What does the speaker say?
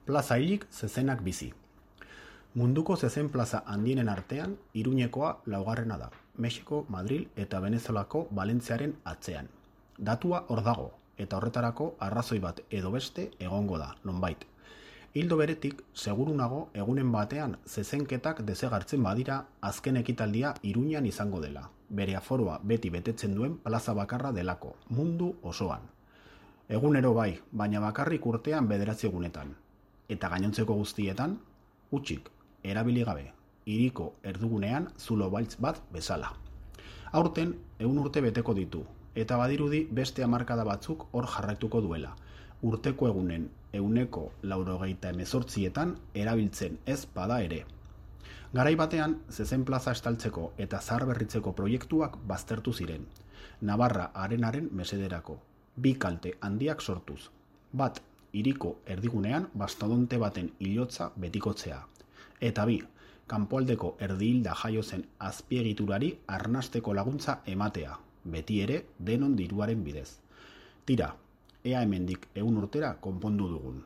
Plaza hilik zezenak bizi. Munduko zezen plaza handienen artean, Iruñekoa laugarrena da. Mexiko, Madril eta Venezuelako Valentziaren atzean. Datua hor dago, eta horretarako arrazoi bat edo beste egongo da, nonbait. Hildo beretik, seguru nago egunen batean zezenketak desegartzen badira azken ekitaldia Iruñan izango dela. Bere aforoa beti betetzen duen plaza bakarra delako, mundu osoan. Egunero bai, baina bakarrik urtean 9 egunetan. Eta gainontzeko guztietan, utxik, erabili gabe, hiriko erdugunean zulo baltz bat bezala. Aurten 100 urte beteko ditu, eta badirudi beste hamarkada batzuk hor jarraituko duela. Urteko egunen 198etan erabiltzen ez bada ere. Garai batean, zezen plaza estaltzeko eta zaharberritzeko proiektuak baztertu ziren. Navarra arenaren mesederako. 2 kalte handiak sortuz. Bat, hiriko erdigunean bastodonte baten hilotza betikotzea. Eta 2, kanpoaldeko erdihilda jaio zen azpiegiturari arnasteko laguntza ematea, beti ere denon diruaren bidez. Tira, ea hemendik 100 urtera konpondu dugun.